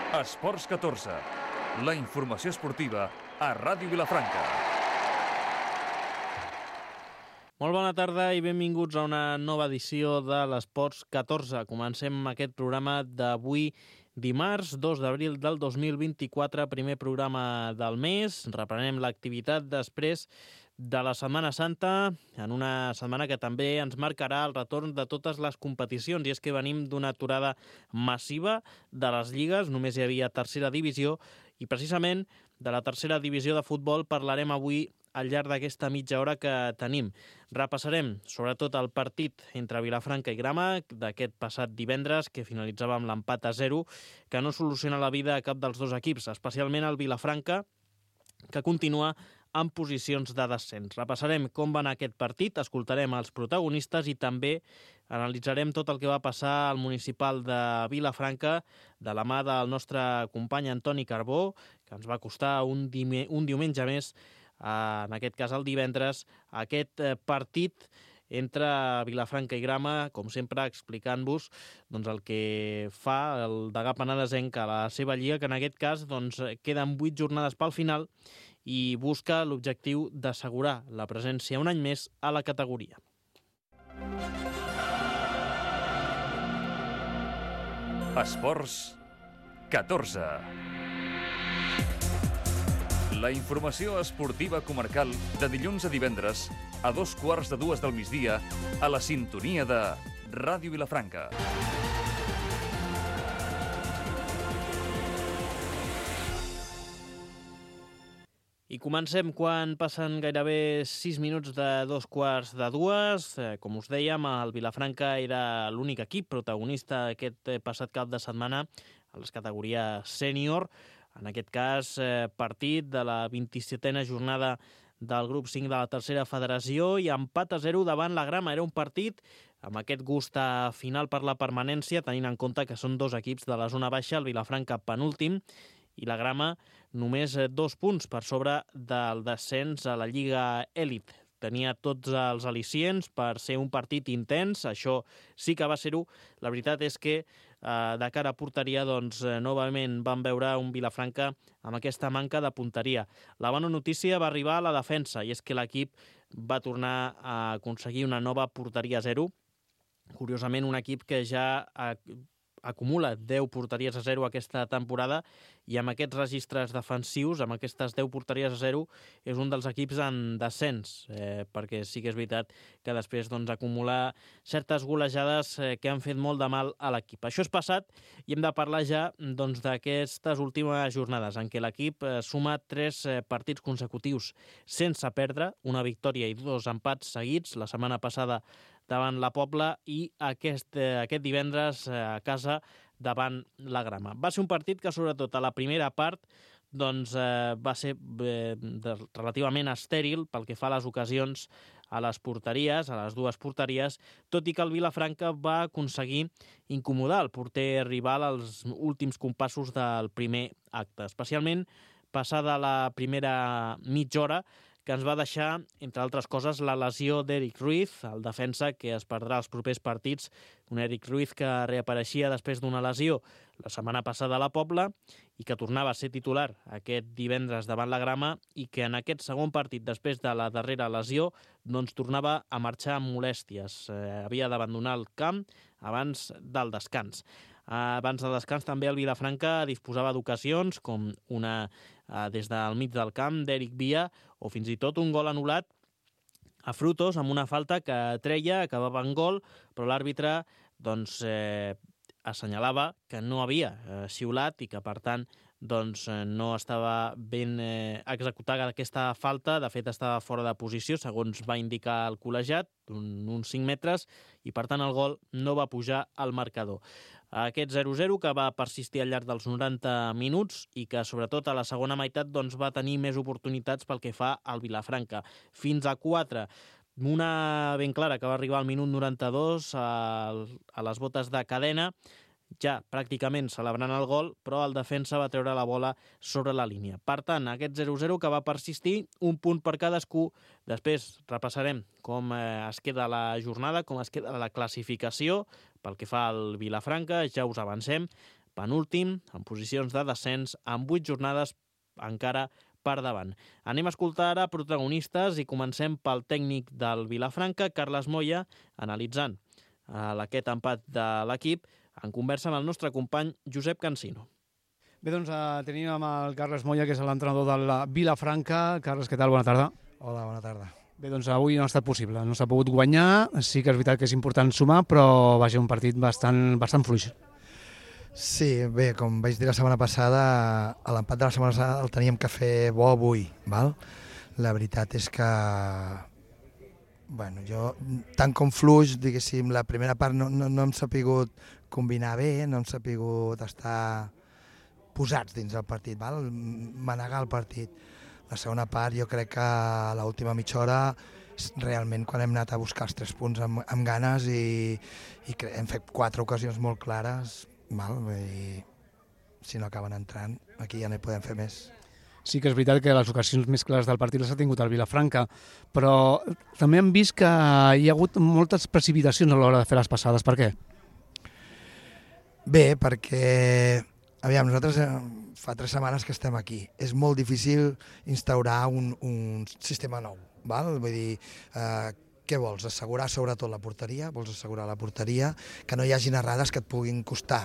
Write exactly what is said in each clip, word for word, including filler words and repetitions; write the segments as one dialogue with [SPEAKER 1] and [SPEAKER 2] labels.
[SPEAKER 1] Esports catorze, la informació esportiva a Ràdio Vilafranca.
[SPEAKER 2] Molt bona tarda i benvinguts a una nova edició de l'Esports catorze. Comencem aquest programa d'avui, dimarts, dos d'abril del dos mil vint-i-quatre, primer programa del mes. Reprenem l'activitat després de la Setmana Santa, en una setmana que també ens marcarà el retorn de totes les competicions, i és que venim d'una aturada massiva de les lligues, només hi havia tercera divisió, i precisament de la tercera divisió de futbol parlarem avui al llarg d'aquesta mitja hora que tenim. Repassarem sobretot el partit entre Vilafranca i Grama d'aquest passat divendres, que finalitzava amb l'empat a zero, que no soluciona la vida a cap dels dos equips, especialment el Vilafranca, que continua en posicions de descens. Repassarem com va anar aquest partit, escoltarem els protagonistes i també analitzarem tot el que va passar al municipal de Vilafranca de la mà del nostre company Antoni Carbó, que ens va costar un, dime, un diumenge més, en aquest cas el divendres, aquest partit entre Vilafranca i Grama, com sempre explicant-vos doncs, el que fa el Degà Penedesenc a la seva lliga, que en aquest cas doncs, queden vuit jornades pel final i busca l'objectiu d'assegurar la presència un any més a la categoria.
[SPEAKER 1] Esports catorze. La informació esportiva comarcal de dilluns a divendres a dos quarts de dues del migdia a la sintonia de Ràdio Vilafranca.
[SPEAKER 2] I comencem quan passen gairebé sis minuts de dos quarts de dues. Com us dèiem, el Vilafranca era l'únic equip protagonista aquest passat cap de setmana a les categories sènior. En aquest cas, partit de la vint-i-setena jornada del grup cinc de la tercera federació i empat a zero davant la Grama. Era un partit amb aquest gust final per la permanència, tenint en compte que són dos equips de la zona baixa, el Vilafranca penúltim i la Grama només dos punts per sobre del descens a la Lliga Elit. Tenia tots els al·licients per ser un partit intens, això sí que va ser-ho. La veritat és que eh, de cara a porteria, doncs, eh, novament vam veure un Vilafranca amb aquesta manca de punteria. La bona notícia va arribar a la defensa, i és que l'equip va tornar a aconseguir una nova porteria a zero. Curiosament, un equip que ja ha acumula deu porteries a zero aquesta temporada, i amb aquests registres defensius, amb aquestes deu porteries a zero, és un dels equips en descens, eh, perquè sí que és veritat que després doncs, acumula certes golejades eh, que han fet molt de mal a l'equip. Això és passat i hem de parlar ja doncs, d'aquestes últimes jornades en què l'equip eh, suma tres eh, partits consecutius sense perdre, una victòria i dos empats seguits, la setmana passada davant la Pobla i aquest, eh, aquest divendres eh, a casa davant la Grama. Va ser un partit que, sobretot a la primera part, doncs, eh, va ser eh, de, relativament estèril pel que fa a les ocasions a les porteries, a les dues porteries, tot i que el Vilafranca va aconseguir incomodar el porter rival als últims compassos del primer acte, especialment passada la primera mitja hora, que ens va deixar, entre altres coses, la lesió d'Eric Ruiz, el defensa que es perdrà els propers partits, un Eric Ruiz que reapareixia després d'una lesió la setmana passada a la Pobla i que tornava a ser titular aquest divendres davant la Grama i que en aquest segon partit, després de la darrera lesió, doncs tornava a marxar amb molèsties. Eh, havia d'abandonar el camp abans del descans. Abans del descans també el Vilafranca disposava d'ocasions com una eh, des del mig del camp d'Eric Via o fins i tot un gol anul·lat a Frutos amb una falta que treia, acabava en gol, però l'àrbitre doncs, eh, assenyalava que no havia eh, xiulat i que per tant doncs, eh, no estava ben eh, executada aquesta falta. De fet, estava fora de posició, segons va indicar el col·legiat, un, uns cinc metres, i per tant el gol no va pujar al marcador. Aquest zero zero que va persistir al llarg dels noranta minuts i que sobretot a la segona meitat doncs, va tenir més oportunitats pel que fa al Vilafranca. Fins a quatre. Una ben clara que va arribar al minut noranta-dos a, a les botes de Cadena, ja pràcticament celebrant el gol, però el defensa va treure la bola sobre la línia. Per tant, aquest zero zero que va persistir, un punt per cadascú. Després repassarem com eh, es queda la jornada, com es queda la classificació pel que fa al Vilafranca, ja us avancem. penúltim, en posicions de descens, amb vuit jornades encara per davant. Anem a escoltar ara protagonistes i comencem pel tècnic del Vilafranca, Carles Moya, analitzant aquest empat de l'equip en conversa amb el nostre company Josep Cansino.
[SPEAKER 3] Bé, doncs eh, tenim amb el Carles Moya, que és l'entrenador del Vilafranca. Carles, què tal? Bona tarda.
[SPEAKER 4] Hola, bona tarda.
[SPEAKER 3] Bé, doncs avui no ha estat possible, no s'ha pogut guanyar, sí que és veritat que és important sumar, però va ser un partit bastant, bastant fluix.
[SPEAKER 4] Sí, bé, com vaig dir la setmana passada, a l'empat de la setmana passada el teníem que fer bo avui, val? La veritat és que, bueno, jo, tant com fluix, diguéssim, la primera part no, no, no hem sapigut combinar bé, no hem sapigut estar posats dins del partit, val? Manegar el partit. La segona part jo crec que a l'última mitja hora realment quan hem anat a buscar els tres punts amb, amb ganes i, i hem fet quatre ocasions molt clares, val? I si no acaben entrant aquí ja no hi podem fer més.
[SPEAKER 3] Sí que és veritat que les ocasions més clares del partit les ha tingut el Vilafranca, però també hem vist que hi ha hagut moltes precipitacions a l'hora de fer les passades. Per què?
[SPEAKER 4] Bé, perquè aviam, nosaltres eh, fa tres setmanes que estem aquí. És molt difícil instaurar un, un sistema nou, val? Vull dir, eh, què vols? Assegurar sobretot la porteria, vols assegurar la porteria, que no hi hagin errades que et puguin costar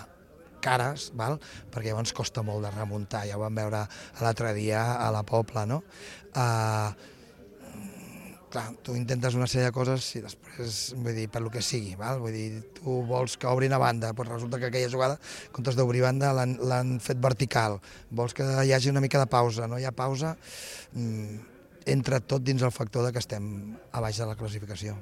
[SPEAKER 4] cares, val? Perquè llavors costa molt de remuntar, ja ho vam veure l'altre dia a la Pobla, no? Eh, clar, tu intentes una sèrie de coses i després, vull dir, per lo que sigui, val? Vull dir, tu vols que obrin a banda, doncs resulta que aquella jugada, en comptes d'obrir banda, l'han fet vertical. Vols que hi hagi una mica de pausa, no hi ha pausa, entra tot dins el factor de que estem a baix de la classificació.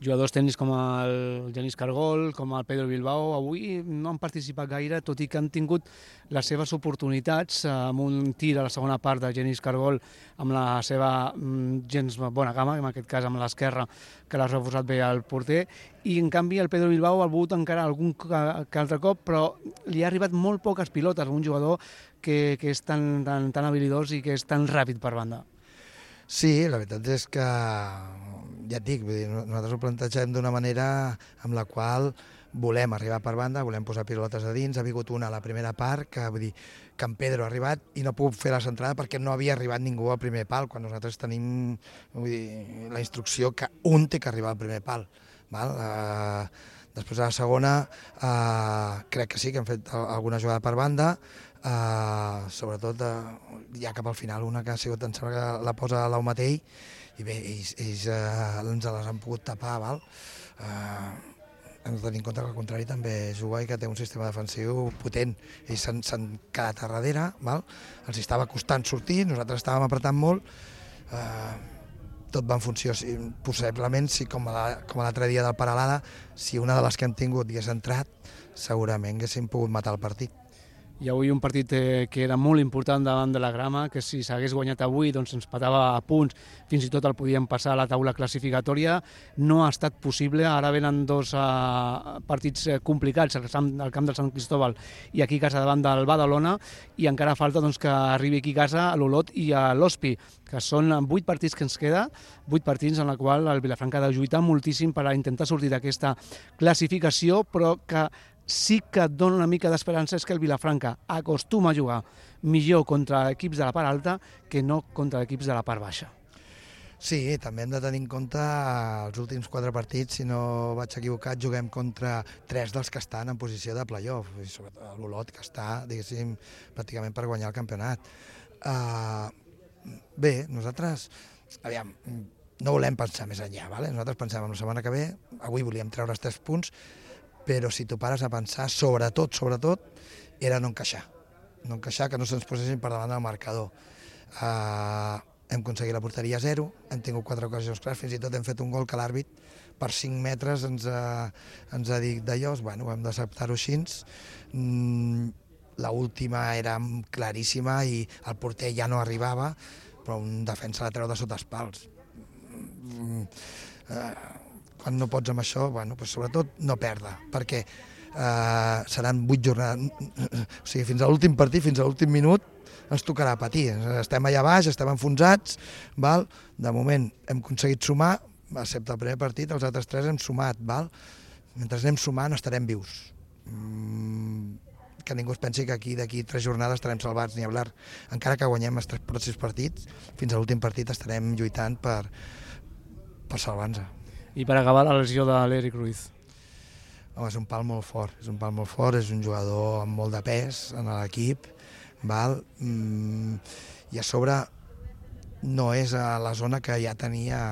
[SPEAKER 3] Jugadors tècnics com el Genís Cargol, com el Pedro Bilbao, avui no han participat gaire, tot i que han tingut les seves oportunitats, amb un tir a la segona part de Genís Cargol amb la seva gens bona gamma, en aquest cas amb l'esquerra, que l'ha reforçat bé el porter, i en canvi el Pedro Bilbao ha volgut encara algun que altre cop, però li ha arribat molt poques pilotes a un jugador que, que és tan, tan, tan habilidós i que és tan ràpid per banda.
[SPEAKER 4] Sí, la veritat és que, ja et dic, vull dir, nosaltres ho plantegem d'una manera amb la qual volem arribar per banda, volem posar pilotes a dins. Ha vingut una a la primera part, que vull dir que en Pedro ha arribat i no ha pogut fer la centrada perquè no havia arribat ningú al primer pal, quan nosaltres tenim, vull dir, la instrucció que un té que arribar al primer pal. Val? Uh, després a la segona uh, crec que sí que hem fet alguna jugada per banda, Uh, sobretot uh, ja cap al final una que ha sigut, em sembla que la posa l'Aumatell i bé, ells, ells uh, ens les han pogut tapar, val? Uh, hem de tenir en compte que al contrari també juga i que té un sistema defensiu potent. Ells s'han quedat a darrere, val? Els estava costant sortir, nosaltres estàvem apretant molt, uh, tot va en funció, si, possiblement, si com l'altre dia del Paralada, si una de les que hem tingut hagués entrat, segurament haguéssim pogut matar el partit.
[SPEAKER 3] I avui un partit eh, que era molt important davant de la Grama, que si s'hagués guanyat avui doncs ens patava a punts, fins i tot el podíem passar a la taula classificatòria. No ha estat possible, ara venen dos eh, partits eh, complicats al camp del Sant Cristóbal i aquí a casa davant del Badalona, i encara falta doncs, que arribi aquí a casa a l'Olot i a l'Hospi, que són vuit partits que ens queda, vuit partits en la qual el Vilafranca ha de lluitar moltíssim per a intentar sortir d'aquesta classificació, però que sí que et dona una mica d'esperança és que el Vilafranca acostuma a jugar millor contra equips de la part alta que no contra equips de la part baixa.
[SPEAKER 4] Sí, també hem de tenir en compte els últims quatre partits, si no vaig equivocat, juguem contra tres dels que estan en posició de play-off, i sobretot l'Olot, que està, diguéssim, pràcticament per guanyar el campionat. Uh, bé, nosaltres, aviam, no volem pensar més enllà, vale? Nosaltres pensem en la setmana que ve, avui volíem treure els tres punts, però si tu pares a pensar, sobretot, sobretot, era no encaixar. No encaixar, que no se'ns posessin per davant del marcador. Uh, hem aconseguit la porteria a zero, hem tingut quatre ocasions clares, fins i tot hem fet un gol que l'àrbit per cinc metres ens ha, ens ha dit d'allò, bueno, hem d'acceptar-ho així. Mm, l'última era claríssima i el porter ja no arribava, però un defensa la treu de sota els pals. Mm, uh, quan no pots amb això, bueno, doncs sobretot no perdre, perquè eh, seran vuit jornades, o sigui, fins a l'últim partit, fins a l'últim minut, ens tocarà patir. Estem allà baix, estem enfonsats, val? De moment hem aconseguit sumar, excepte el primer partit, els altres tres hem sumat, val? Mentre anem sumant estarem vius. Mm, que ningú es pensi que aquí d'aquí tres jornades estarem salvats ni hablar. Encara que guanyem els tres pròxims partits, fins a l'últim partit estarem lluitant per, per salvar-nos.
[SPEAKER 3] I per acabar, la lesió de l'Eric Ruiz.
[SPEAKER 4] Home, és un pal molt fort, és un pal molt fort, és un jugador amb molt de pes en l'equip, val? Mm, i a sobre no és a la zona que ja tenia,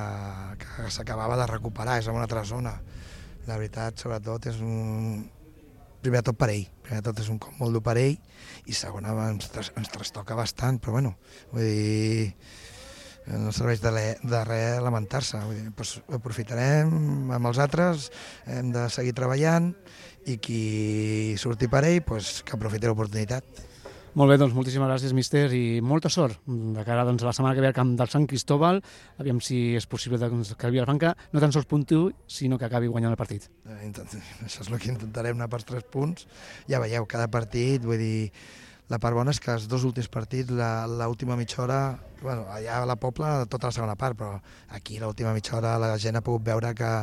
[SPEAKER 4] que s'acabava de recuperar, és a una altra zona. La veritat, sobretot, és un... Primer de tot per ell, primer de tot és un cop molt dur per ell, i segona ens, ens trastoca bastant, però bueno, vull dir, no serveix de, de res lamentar-se. Doncs aprofitarem amb els altres, hem de seguir treballant, i qui surti per ell, doncs, que aprofiti l'oportunitat.
[SPEAKER 3] Molt bé, doncs moltíssimes gràcies, míster, i molta sort de cara doncs, a la setmana que ve al camp del Sant Cristóbal. Aviam si és possible doncs, que el Vilafranca no tan sols puntuï, sinó que acabi guanyant el partit.
[SPEAKER 4] Això és el que intentarem, anar pels tres punts. Ja veieu, cada partit, vull dir, la part bona és que els dos últims partits, l'última mitja hora, bueno, allà a la Pobla tota la segona part, però aquí l'última mitja hora la gent ha pogut veure que,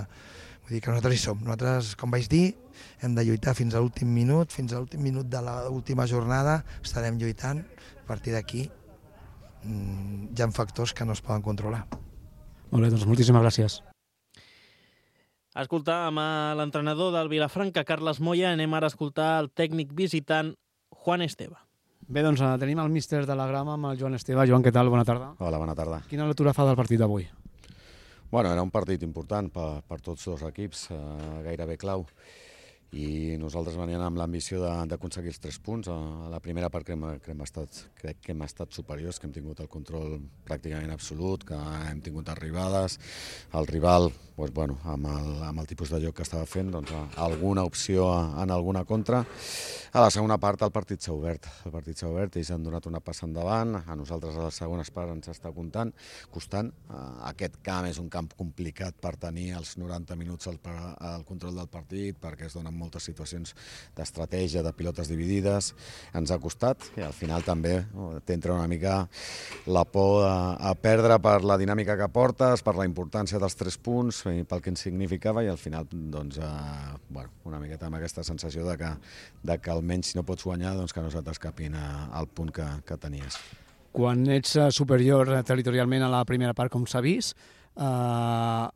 [SPEAKER 4] vull dir, que nosaltres hi som. Nosaltres, com vaig dir, hem de lluitar fins a l'últim minut, fins a l'últim minut de l'última jornada estarem lluitant. A partir d'aquí hi ha factors que no es poden controlar.
[SPEAKER 3] Molt bé, doncs moltíssimes gràcies.
[SPEAKER 2] Escoltàvem a l'entrenador del Vilafranca, Carles Moya. Anem ara a escoltar el tècnic visitant, Juan Esteve.
[SPEAKER 3] Bé, doncs tenim el míster de la grama amb el Joan Esteve. Joan, què tal? Bona tarda.
[SPEAKER 5] Hola, bona tarda.
[SPEAKER 3] Quina lectura fa del partit d'avui?
[SPEAKER 5] Bueno, era un partit important per, per tots dos equips, eh, gairebé clau. I nosaltres veníem amb l'ambició d'aconseguir els tres punts. A la primera part crec, crec, hem estat, crec que hem estat superiors, que hem tingut el control pràcticament absolut, que hem tingut arribades. El rival, doncs, bueno, amb, el, amb el tipus de joc que estava fent, doncs, alguna opció en alguna contra. A la segona part el partit s'ha obert. El partit s'ha obert, ells han donat una passa endavant. A nosaltres a les segones parts ens està comptant, costant. Aquest camp és un camp complicat per tenir els noranta minuts al, al control del partit, perquè es donen moltes situacions d'estratègia, de pilotes dividides. Ens ha costat i al final també t'entra una mica la por a, a perdre per la dinàmica que portes, per la importància dels tres punts, pel que ens significava, i al final doncs, eh, bueno, una miqueta amb aquesta sensació de que, de que almenys si no pots guanyar, doncs que no se t'escapin al punt que, que tenies.
[SPEAKER 3] Quan ets superior territorialment a la primera part, com s'ha vist, eh,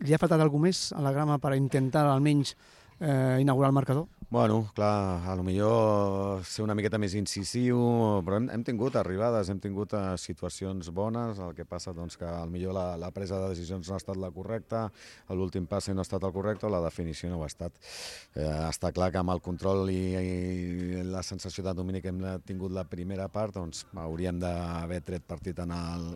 [SPEAKER 3] li ha faltat alguna més a la grama per intentar almenys eh, inaugurar el marcador?
[SPEAKER 5] Bueno, clar, a lo millor ser una miqueta més incisiu, però hem, hem tingut arribades, hem tingut uh, situacions bones, el que passa doncs, que al millor la, la presa de decisions no ha estat la correcta, l'últim passe no ha estat el correcte, o la definició no ho ha estat. Eh, està clar que amb el control i, i la sensació de domini que hem tingut la primera part, doncs hauríem d'haver tret partit en el,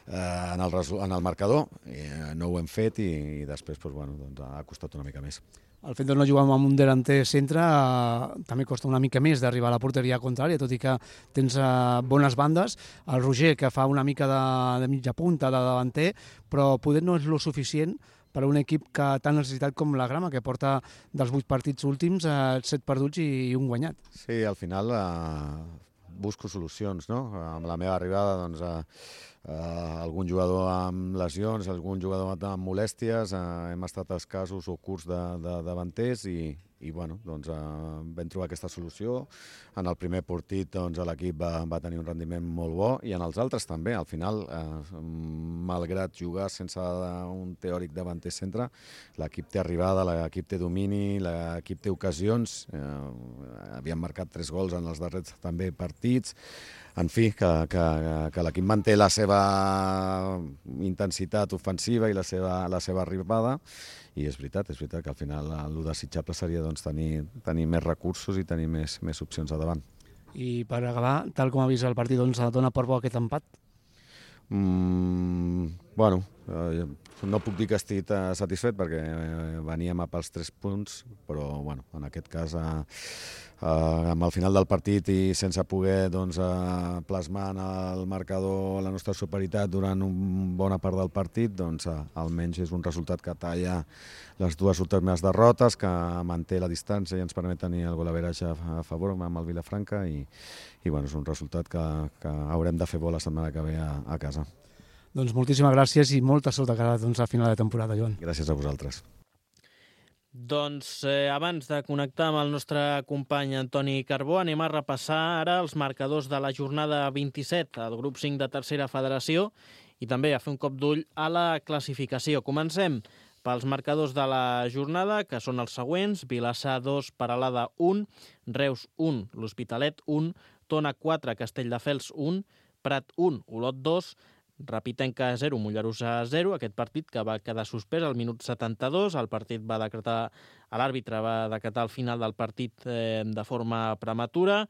[SPEAKER 5] eh, en el, en el marcador, i, eh, no ho hem fet i, i després doncs, bueno, doncs, ha costat una mica més.
[SPEAKER 3] El fet de no jugar amb un delanter centre eh, també costa una mica més d'arribar a la porteria contrària, tot i que tens eh, bones bandes. El Roger, que fa una mica de, de mitja punta, de davanter, però poder no és lo suficient per a un equip que tan necessitat com la grama, que porta dels vuit partits últims eh, set perduts i, i un guanyat.
[SPEAKER 5] Sí, al final eh, busco solucions, no? Amb la meva arribada, doncs, eh, Uh, algun jugador amb lesions, algun jugador amb molèsties, uh, hem estat escassos o curts de, de davanters i, i bueno, doncs, uh, vam trobar aquesta solució. En el primer partit doncs, l'equip va, va tenir un rendiment molt bo i en els altres també. Al final, uh, malgrat jugar sense un teòric davanter centre, l'equip té arribada, l'equip té domini, l'equip té ocasions. Uh, havíem marcat tres gols en els darrers també partits. En fi, que, que, que l'equip manté la seva intensitat ofensiva i la seva, la seva arribada, i és veritat, és veritat que al final el desitjable seria doncs, tenir, tenir més recursos i tenir més, més opcions a davant.
[SPEAKER 3] I per acabar, tal com ha vist el partit, doncs dona per bo aquest empat?
[SPEAKER 5] Mm, bueno, eh, no puc dir que estic eh, satisfet perquè eh, veníem a pels tres punts, però bueno, en aquest cas eh, eh, amb el final del partit i sense poder doncs, eh, plasmar en el marcador la nostra superioritat durant una bona part del partit, doncs eh, almenys és un resultat que talla les dues últimes derrotes, que manté la distància i ens permet tenir el golaveratge a favor amb el Vilafranca i, i bueno, és un resultat que, que haurem de fer bo la setmana que ve a, a casa.
[SPEAKER 3] Doncs moltíssimes gràcies i molta sort de cara doncs, a final de temporada, Joan.
[SPEAKER 5] Gràcies a vosaltres.
[SPEAKER 2] Doncs eh, abans de connectar amb el nostre company Antoni Carbó, anem a repassar ara els marcadors de la jornada vint-i-set al grup cinc de tercera federació i també a fer un cop d'ull a la classificació. Comencem pels marcadors de la jornada, que són els següents: Vilassar dos, Peralada un, Reus un, l'Hospitalet un, Tona quatre, Castelldefels un, Prat un, Olot dos, Rapitenca zero, Mollerussa zero, aquest partit que va quedar suspès al minut setanta-dos. El partit va decretar, l'àrbitre va decretar el final del partit eh, de forma prematura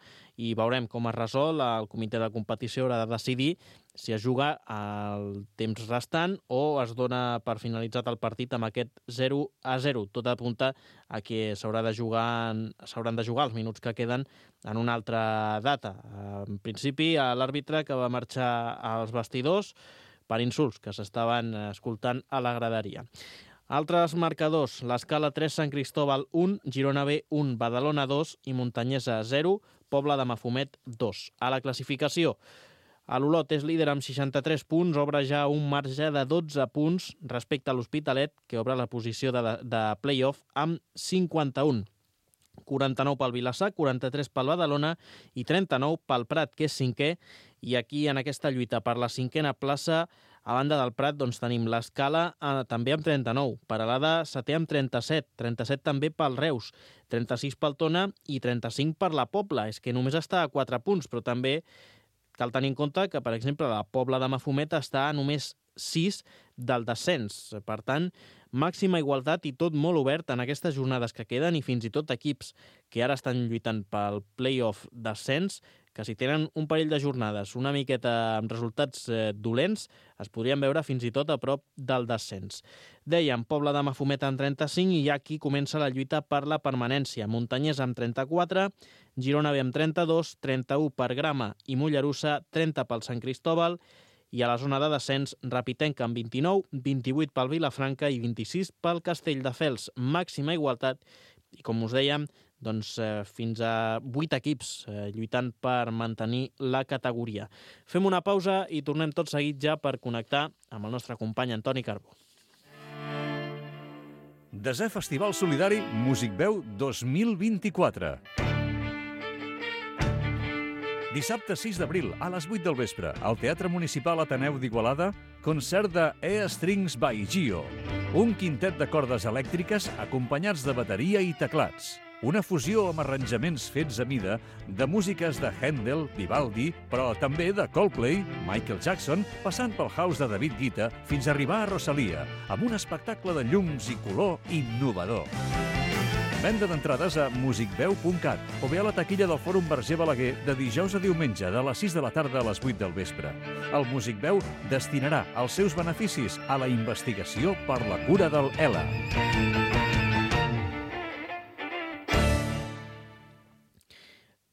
[SPEAKER 2] i veurem com es resol. El comitè de competició haurà de decidir si es juga el temps restant o es dona per finalitzat el partit amb aquest zero a zero. Tot apunta a que s'haurà de jugar, s'hauran de jugar els minuts que queden en una altra data. En principi, l'àrbitre que va marxar als vestidors per insults que s'estaven escoltant a la graderia. Altres marcadors: l'Escala tres, Sant Cristóbal un, Girona B un, Badalona dos i Muntanyesa zero, Pobla de Mafumet dos. A la classificació, l'Olot és líder amb seixanta-tres punts, obre ja un marge de dotze punts respecte a l'Hospitalet, que obre la posició de, de play-off amb cinquanta-un. quaranta-nou pel Vilassar, quaranta-tres pel Badalona i trenta-nou pel Prat, que és cinquè. I aquí, en aquesta lluita per la cinquena plaça, a banda del Prat, doncs tenim l'Escala eh, també amb trenta-nou, Peralada setè amb trenta-set, trenta-set també pel Reus, trenta-sis pel Tona i trenta-cinc per la Pobla. És que només està a quatre punts, però també cal tenir en compte que, per exemple, la Pobla de Mafumet està a només sis del descens. Per tant, màxima igualtat i tot molt obert en aquestes jornades que queden, i fins i tot equips que ara estan lluitant pel play-off descens, que si tenen un parell de jornades una miqueta amb resultats eh, dolents, es podrien veure fins i tot a prop del descens. Dèiem, Pobla de Mafumet amb trenta-cinc i ja aquí comença la lluita per la permanència. Muntanyesa amb trenta-quatre, Girona B amb trenta-dos, trenta-u per Grama i Mollerussa, trenta pel Sant Cristóbal, i a la zona de descens, Rapitenca amb vint-i-nou, vint-i-vuit pel Vilafranca i vint-i-sis pel Castelldefels. Màxima igualtat i, com us dèiem, doncs, eh, fins a vuit equips eh, lluitant per mantenir la categoria. Fem una pausa i tornem tot seguit ja per connectar amb el nostre company Antoni Carbó.
[SPEAKER 1] Desè Festival Solidari Musicveu dos mil vint-i-quatre. Dissabte sis d'abril, a les vuit del vespre, al Teatre Municipal Ateneu d'Igualada, concert de E Strings by Gio, un quintet de cordes elèctriques acompanyats de bateria i teclats. Una fusió amb arranjaments fets a mida de músiques de Händel, Vivaldi, però també de Coldplay, Michael Jackson, passant pel house de David Guetta fins a arribar a Rosalia, amb un espectacle de llums i color innovador. Venda d'entrades a musicveu punt cat o bé a la taquilla del Fòrum Verger Balaguer de dijous a diumenge de les sis de la tarda a les vuit del vespre. El Musicveu destinarà els seus beneficis a la investigació per la cura del E L A.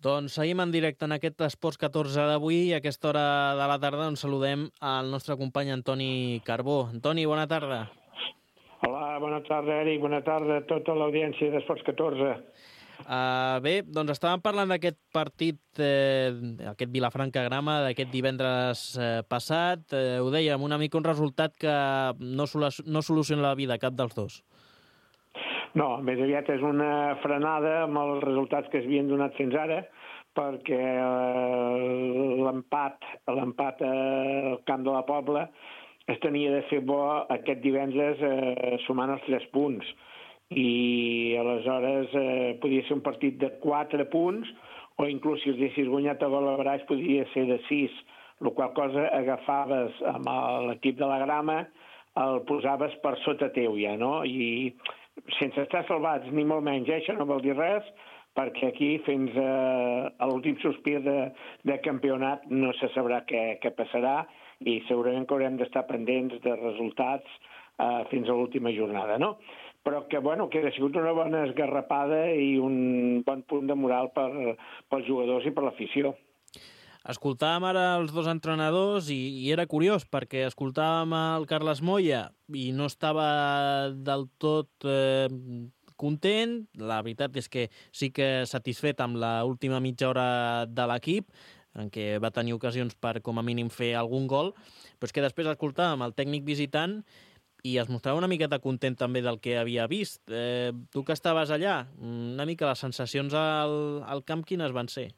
[SPEAKER 2] Doncs seguim en directe en aquest Esports catorze d'avui i a aquesta hora de la tarda ens saludem al nostre company Antoni Carbó. Antoni, bona tarda.
[SPEAKER 6] Hola, bona tarda, Eric, bona tarda a tota l'audiència d'Esports catorze.
[SPEAKER 2] Uh, bé, doncs estàvem parlant d'aquest partit, eh, aquest Vilafranca-Grama, d'aquest divendres eh, passat. Eh, ho dèiem, una mica un resultat que no, solu no soluciona la vida a cap dels dos.
[SPEAKER 6] No, més aviat és una frenada amb els resultats que s'havien donat fins ara, perquè eh, l'empat l'empat al camp de la Pobla es tenia de fer bo aquest divendres eh, sumant els tres punts. I aleshores eh, podia ser un partit de quatre punts o inclús si els haguessis guanyat a gol a baraix podria ser de sis, la qual cosa agafaves amb l'equip de la Grama, el posaves per sota teu ja, no? I sense estar salvats ni molt menys, eh? Això no vol dir res, perquè aquí fins a, a l'últim sospir de, de campionat no se sabrà què, què passarà i segurament que haurem d'estar pendents de resultats eh, fins a l'última jornada, no? Però que, bueno, que ha sigut una bona esgarrapada i un bon punt de moral per, pels jugadors i per l'afició.
[SPEAKER 2] Escoltàvem ara els dos entrenadors i, i era curiós perquè escoltàvem el Carles Moya i no estava del tot eh, content. La veritat és que sí que satisfet amb l'última mitja hora de l'equip, en què va tenir ocasions per com a mínim fer algun gol, però és que després escoltàvem el tècnic visitant i es mostrava una miqueta content també del que havia vist. Eh, tu que estaves allà, una mica les sensacions al, al camp quines van ser?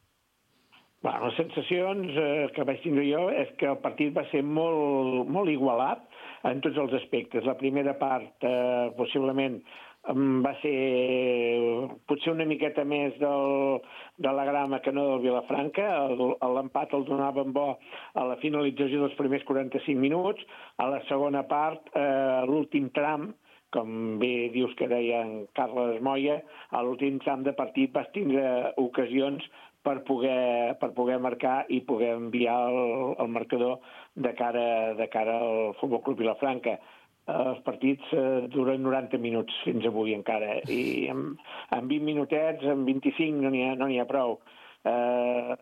[SPEAKER 6] Bueno, les sensacions eh, que vaig tindre jo és que el partit va ser molt, molt igualat en tots els aspectes. La primera part, eh, possiblement, va ser potser una miqueta més del, de la grama que no del Vilafranca. L'empat el donaven bo a la finalització dels primers quaranta-cinc minuts. A la segona part, eh, l'últim tram, com bé dius que deia en Carles Moya, a l'últim tram de partit vas tindre ocasions per poder, per poder marcar i poder enviar el, el marcador de cara, de cara al Futbol Club Vilafranca. Els partits eh, duren noranta minuts fins avui encara, i en, en vint minutets, en vint-i-cinc no n'hi ha, no n'hi ha prou. Eh,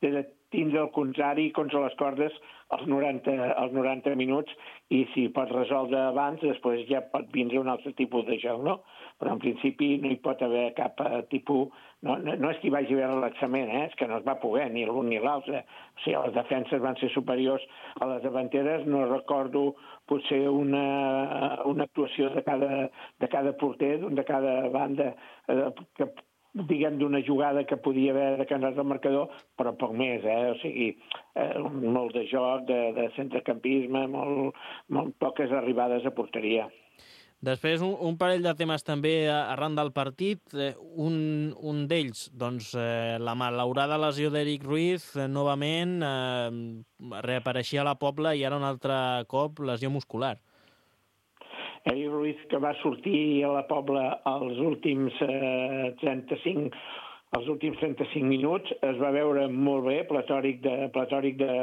[SPEAKER 6] he de tindre el contrari contra les cordes els noranta, els noranta minuts, i si pots resoldre abans, després ja pot vindre un altre tipus de joc, no? Però en principi no hi pot haver cap uh, tipus... No, no, no és que hi vagi a haver relaxament, eh? És que no es va poder, ni l'un ni l'altre. O sigui, les defenses van ser superiors a les davanteres. No recordo potser una, una actuació de cada, de cada porter, de cada banda, eh, que diguem, d'una jugada que podia haver decantat el marcador, però poc més, eh? O sigui, eh, molt de joc, de, de centrecampisme, molt, molt poques arribades a porteria.
[SPEAKER 2] Després, un, un parell de temes també arran del partit. Eh, un un d'ells, doncs, eh, la malaurada lesió d'Eric Ruiz, eh, novament, eh, reapareixia a la Pobla i ara un altre cop lesió muscular.
[SPEAKER 6] Eric Ruiz, que va sortir a la Pobla els últims eh, trenta-cinc els últims trenta-cinc minuts, es va veure molt bé, platòric de, platòric de,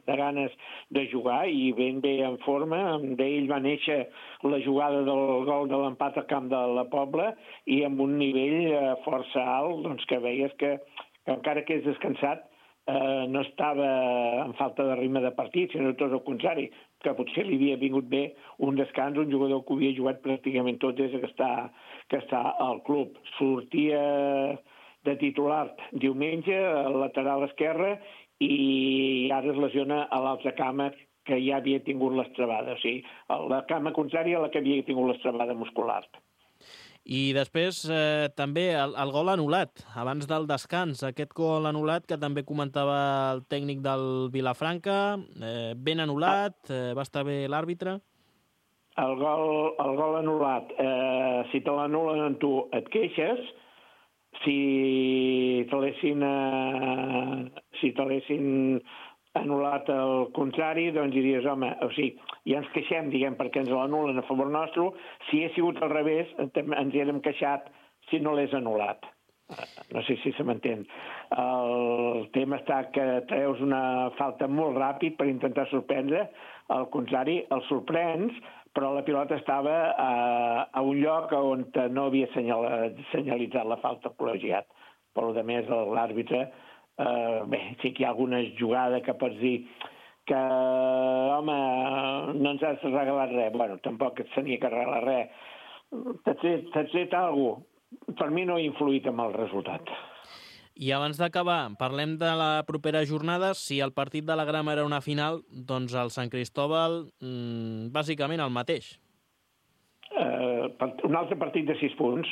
[SPEAKER 6] de ganes de jugar i ben bé en forma. D'ell va néixer la jugada del gol de l'empat al camp de la Pobla, i amb un nivell eh, força alt, doncs, que veies que, que encara que és descansat, eh, no estava en falta de ritme de partit, sinó tot el contrari, que potser li havia vingut bé un descans, un jugador que havia jugat pràcticament tot des que està, que està al club. Sortia de titular diumenge, al lateral esquerre, i ara es lesiona a l'altra cama que ja havia tingut l'estrabada, o sigui, la cama contrària a la que havia tingut l'estrabada muscular.
[SPEAKER 2] I després eh, també el, el gol anul·lat, abans del descans, aquest gol anul·lat que també comentava el tècnic del Vilafranca, eh, ben anul·lat, eh, va estar bé l'àrbitre?
[SPEAKER 6] El gol, el gol anul·lat, eh, si te l'anul·len en tu et queixes, si te l'haguessin eh, si te l'haguessin anul·lat al contrari, doncs diries, home, o sigui, ja ens queixem, diguem, perquè ens l'anul·len a favor nostre. Si hagués sigut al revés, ens hi hem queixat si no l'és anul·lat. No sé si se m'entén. El tema està que treus una falta molt ràpid per intentar sorprendre, al contrari, el sorprens, però la pilota estava a, a un lloc on no havia senyalitzat la falta col·legiat. Per a més, l'àrbitre, eh, bé, sí que hi ha alguna jugada que pots dir que, home, no ens has regalat res. Bueno, tampoc et tenia que regalar res. T'has tret, t'has tret alguna cosa. Per mi no ha influït en el resultat.
[SPEAKER 2] I abans d'acabar, parlem de la propera jornada. Si el partit de la Grama era una final, doncs el Sant Cristóbal, mmm, bàsicament el mateix.
[SPEAKER 6] Uh, un altre partit de sis punts.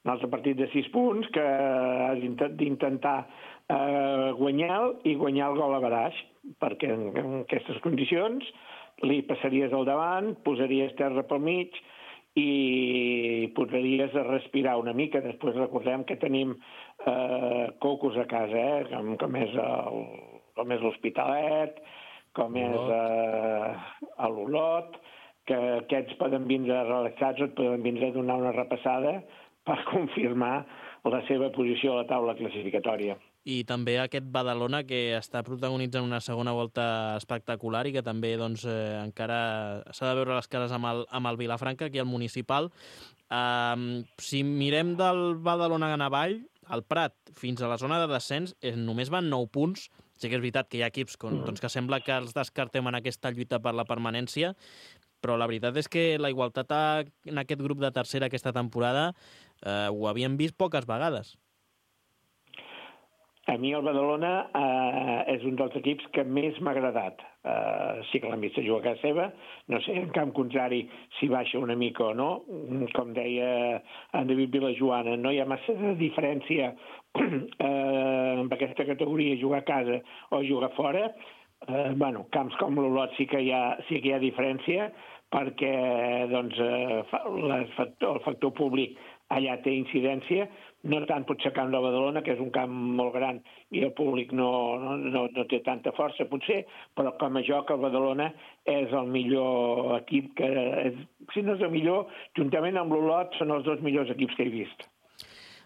[SPEAKER 6] Un altre partit de sis punts que has d'intentar uh, guanyar i guanyar el gol a baraix, perquè en, en aquestes condicions li passaries al davant, posaries terra pel mig i podries respirar una mica. Després recordem que tenim eh, cocos a casa, eh? com, com és el, com és l'Hospitalet, com és eh, l'Olot, que aquests poden vindre relaxats o et poden vindre a donar una repassada per confirmar la seva posició a la taula classificatòria.
[SPEAKER 2] I també aquest Badalona, que està protagonitzant una segona volta espectacular i que també doncs, eh, encara s'ha de veure les cares amb el, amb el Vilafranca, aquí al Municipal. Um, si mirem del Badalona en avall, el Prat fins a la zona de descens eh, només van nou punts. Sí que és veritat que hi ha equips con, doncs, que sembla que els descartem en aquesta lluita per la permanència, però la veritat és que la igualtat en aquest grup de tercera aquesta temporada eh, ho havíem vist poques vegades.
[SPEAKER 6] A mi el Badalona eh, és un dels equips que més m'ha agradat. Eh, sí que l'hem vist jugar a casa seva, no sé, en camp contrari si baixa una mica o no. Com deia en David Vilajoana, no hi ha massa de diferència eh, amb aquesta categoria, jugar a casa o jugar fora. Eh, bueno, camps com l'Olot sí que hi ha, sí que hi ha diferència, perquè doncs, eh, el, factor, el factor públic allà té incidència, no tant potser camp de Badalona, que és un camp molt gran i el públic no, no, no, no té tanta força, potser, però com a joc el Badalona és el millor equip, que és, si no és el millor, juntament amb l'Olot són els dos millors equips que he vist.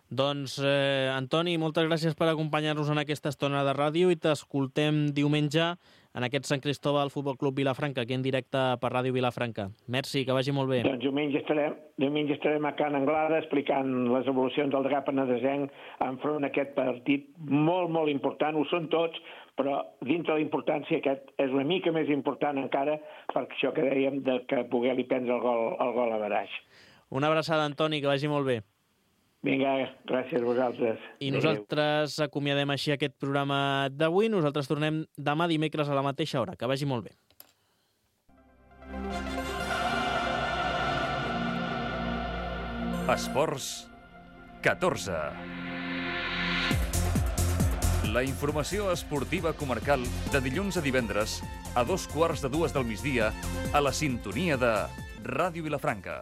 [SPEAKER 2] Doncs, eh, Antoni, moltes gràcies per acompanyar-nos en aquesta estona de ràdio i t'escoltem diumenge en aquest Sant Cristóbal Futbol Club Vilafranca, aquí en directe per Ràdio Vilafranca. Merci, que vagi molt bé.
[SPEAKER 6] Doncs diumenge estarem, diumenge estarem a Can Anglada explicant les evolucions del Drap Penedesenc enfront a aquest partit molt, molt important. Ho són tots, però dintre de la importància aquest és una mica més important encara per això que dèiem de que poder-li prendre el gol, el gol a Baraix.
[SPEAKER 2] Una abraçada, Antoni, que vagi molt bé.
[SPEAKER 6] Vinga, gràcies a vosaltres.
[SPEAKER 2] I nosaltres acomiadem així aquest programa d'avui. Nosaltres tornem demà dimecres a la mateixa hora. Que vagi molt bé.
[SPEAKER 1] Esports catorze. La informació esportiva comarcal de dilluns a divendres a dos quarts de dues del migdia a la sintonia de Ràdio Vilafranca.